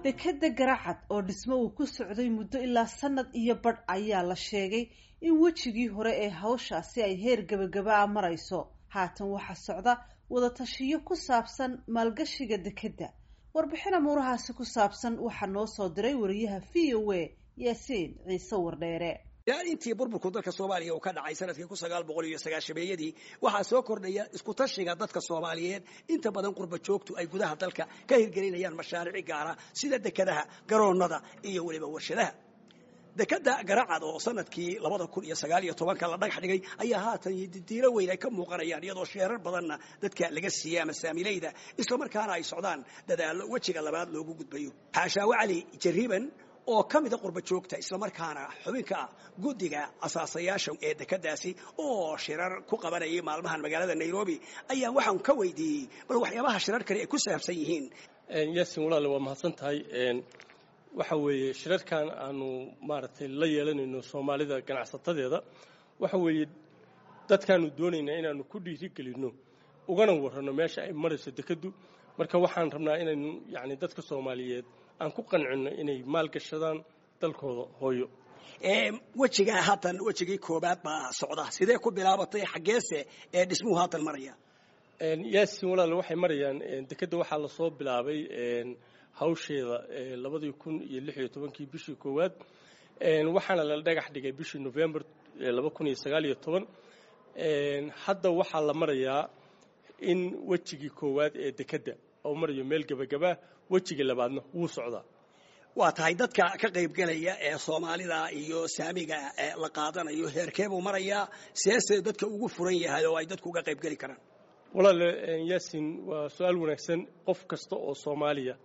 Dekadda Garacad oo dhismo uu ku socday muddo ilaa sanad iyo badh ayaa la sheegay in wejigii hore ee hawshaasi ay heer gebagaba ah marayso. Haatan waxaa socda wadatashiyo ku saabsan maalgashiga dekedda. Warbixin amuurahaasi ku saabsan waxaa noo soo diray wariyaha VOA Yaasiin Ciise Wardheere. Ilaa intii burburku dalka Soomaaliya uu ka dhacay sanadkii 1990-yadii, waxaa soo kordhaya isku tashiga dadka Soomaaliyeed. Inta badan qurba joogtu ay gudaha dalka ka hirgelinayaan mashaariic gaara sida dekadaha, garoonnada iyo weliba warshadaha. Dekada Garacad oo sanadkii 2019-ka la dhagax dhigay ayaa haatan diilo weyn ay ka muuqanayaan, iyadoo sheerar badanna dadka laga siiyey ama saamilayda, islamarkaana ay socdaan dadaallo wejiga labaad loogu gudbayo. Xaashaawe Cali Jariiban oo ka mida qurba joogta, islamarkaana xubinka ah guddiga asaasayaasha ee dekadaasi oo shirar ku qabanayay maalmahan magaalada Nairobi, ayaa waxaan ka weydiiyey bal waxyaabaha shirarkani ay ku saabsan yihiin. Yaasin walaale, waa mahadsan tahay. Waxa weeye shirarkan aanu maaragtay la yeelanayno Soomaalida ganacsatadeeda, waxa weeye dadkaanu doonaynaa inaanu ku dhiirigelinno ugana warranno meesha ay marayso dekeddu. Marka waxaan rabnaa inaynu yacni dadka Soomaaliyeed aan ku qancinno inay maalgashadaan dalkooda hooyo. Wejigaa haatan, wejigii koobaad baa socda. Sidee ku bilaabatay, xaggeese ee dhismuhu haatan maraya? Yaasin walaale, waxay marayaan dekedda waxaa lasoo bilaabay hawsheeda 2016-kii bishii koowaad, waxaana la dhagax dhigay bishii November 2019. Hadda waxaa la marayaa in wejigii koowaad ee dekedda oo marayo meel gebagabaa, wejigii labaadna wuu socdaa. Waa tahay, dadka ka qaybgelaya ee Soomaalida iyo saamiga la qaadanayo heerkee buu marayaa, seese dadka ugu furan yahay oo ay dadku uga qaybgeli karaan? Walaale Yaasin, waa su-aal wanaagsan. Qof kasta oo Soomaaliya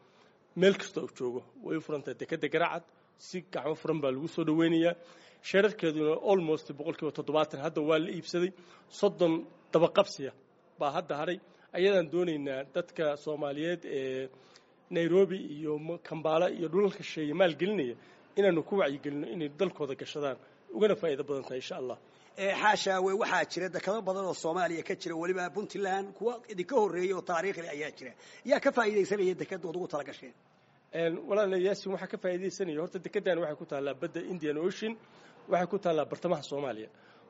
meel kasta uu joogo way u furan tahay dekedda Garacad, si gacmo furan baa lagu soo dhaweynayaa. Sheerarkeeduna almost 70% hadda waa la iibsaday, 30 dabaqabsiya baa hadda hadhay. Ayadaan doonaynaa dadka Soomaaliyeed ee Nairobi iyo Kambaala iyo dhulalka shisheeye maalgelinaya inaanu ku wacyigelino inay dalkooda gashadaan, ugana faa'iido badan tahay, insha Allah. Xaashaawe, waxaa jira dekado badan oo Soomaaliya ka jira, weliba Puntland kuwa idinka horreeyey oo taariikhli ayaa jira. Yaa ka faa'iidaysanaya dekedood ugu tala gasheen? Walaala Yaasin, waxaa ka faa'iidaysanaya horta dekeddan waxay ku taallaa badda Indian Ocean, waxay ku taallaa bartamaha Soomaaliya.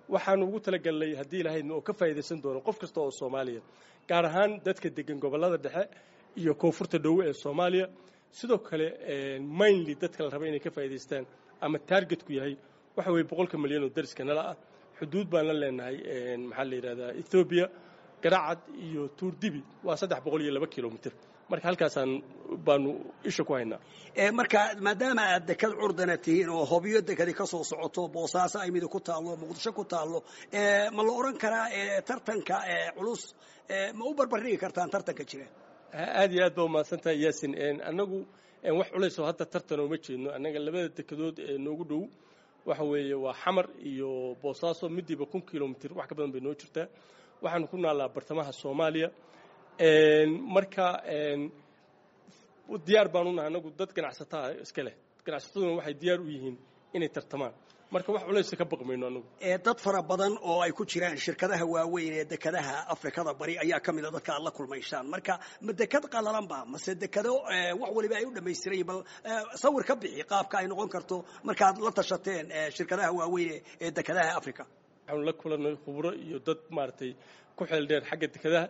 Waxaanu ugu talagalnay, haddii lahaydna, oo ka faa'iidaysan doono qof kasta oo Soomaaliya, gaar ahaan dadka degan gobollada dhexe iyo koonfurta dhowe ee Soomaaliya. Sidoo kale mainly dadka la raba inay ka faa'iidaystaan ama targetku yahay waxa weeye 100-ka milyan oo dariska nala ah. Xuduud baan la leenahay, maxaa la yidhahdaa, Ethoobia. Garacad iyo Tuurdibi waa 302 kilomitr, marka halkaasaan baanu isha ku haynaa. Marka maadaama aad dekad curdana tihiin oo Hobyo dekadi ka soo socoto, Boosaaso ay midi ku taallo, Muqdisho ku taallo, ma la odhan karaa tartanka culus ma u barbardhigi kartaan tartanka jira? Aad iyo aad baa umahadsan tahay Yaasin. Annagu wax culays oo hadda tartan ooma jeedno. Annaga labada dekedood ee noogu dhow waxa weeye waa Xamar iyo Boosaaso, midiiba 1000 kilomitr wax ka badan bay noo jirtaa. Waxaanu ku naallaa bartamaha Soomaaliya. Marka diyaar baan u nahay annagu, dad ganacsataa iska leh, ganacsataduna waxay diyaar u yihiin inay tartamaan, marka wax culaysa ka baqmayno annagu. Dad fara badan oo ay ku jiraan shirkadaha waaweyn ee dekadaha Afrikada Bari ayaa ka mid a dadka aad la kulmaysaan. Marka ma dekad qalalan ba mase dekado wax waliba ay u dhamaystiran yihin? Bal sawir ka bixi qaabka ay noqon karto markaad la tashateen shirkadaha waaweyn ee dekadaha Africa. Waxaanu la kulanay khubro iyo dad maaragtay ku xeel dheer xagga dekadaha.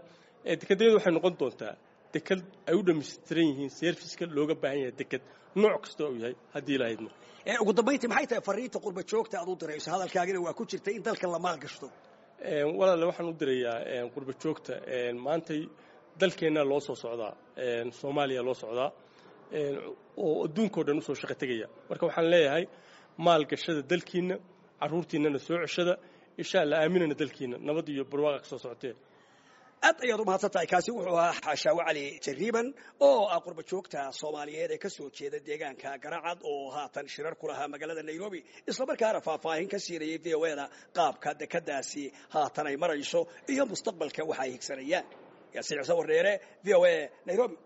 Dekadayadu waxay noqon doontaa dekad ay u dhamaystiran yihiin serviceka looga baahan yahay dekad nooc kasta uu yahay, haddii lahaydno. Ugu dambayntii, maxay tahay fariinta qurba joogta aad u dirayso? Hadalkaagina waa ku jirtay in dalka la maalgashto. Walaale, waxaan u dirayaa qurba joogta, maantay dalkeenna loo soo socdaa, Soomaaliya loo socdaa oo adduunkao dhan usoo shaqo tegaya. Marka waxaan leeyahay maalgashada dalkiinna, carruurtiinnana soo ceshada, insha Allah, aaminana dalkiinna, nabad iyo barwaaqa ka soo socotee. Aad ayaad u mahadsan tahay. Kaasi wuxuu ahaa Xaashaawe Cali Jariiban oo ah qurba joogta Soomaaliyeed ee ka soo jeeda deegaanka Garacad oo haatan shirar ku lahaa magaalada Nairobi, islamarkaana faahfaahin ka siinayay VOA-da qaabka dekadaasi haatan ay marayso iyo mustaqbalka waxa ay higsanayaan. Yaasiin Ciise Wardheere, VOA, Nairobi.